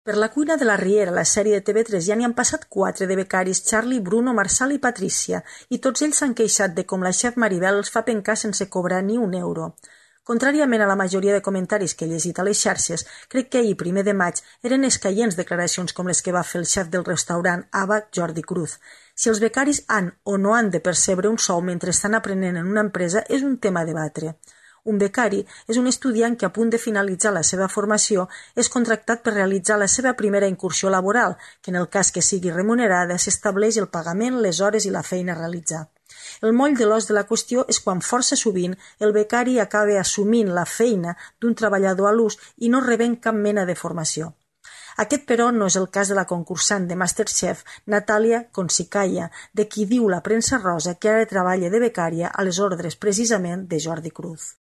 Per la cuina de la Riera, la sèrie de TV3, ja n'hi han passat 4 de becaris, Charlie, Bruno, Marçal i Patrícia, i tots ells s'han queixat de com la xef Maribel els fa pencar sense cobrar ni un euro. Contràriament a la majoria de comentaris que he llegit a les xarxes, crec que ahir, 1 de maig, eren escaients declaracions com les que va fer el xef del restaurant Ava, Jordi Cruz. Si els becaris han o no han de percebre un sou mentre estan aprenent en una empresa és un tema a debatre. Un becari és un estudiant que a punt de finalitzar la seva formació és contractat per realitzar la seva primera incursió laboral, que en el cas que sigui remunerada s'estableix el pagament, les hores i la feina a realitzar. El moll de l'os de la qüestió és quan força sovint el becari acaba assumint la feina d'un treballador a l'ús i no rebent cap mena de formació. Aquest, però, no és el cas de la concursant de Masterchef Natàlia Consicaya, de qui diu la premsa rosa que ara treballa de becària a les ordres precisament de Jordi Cruz.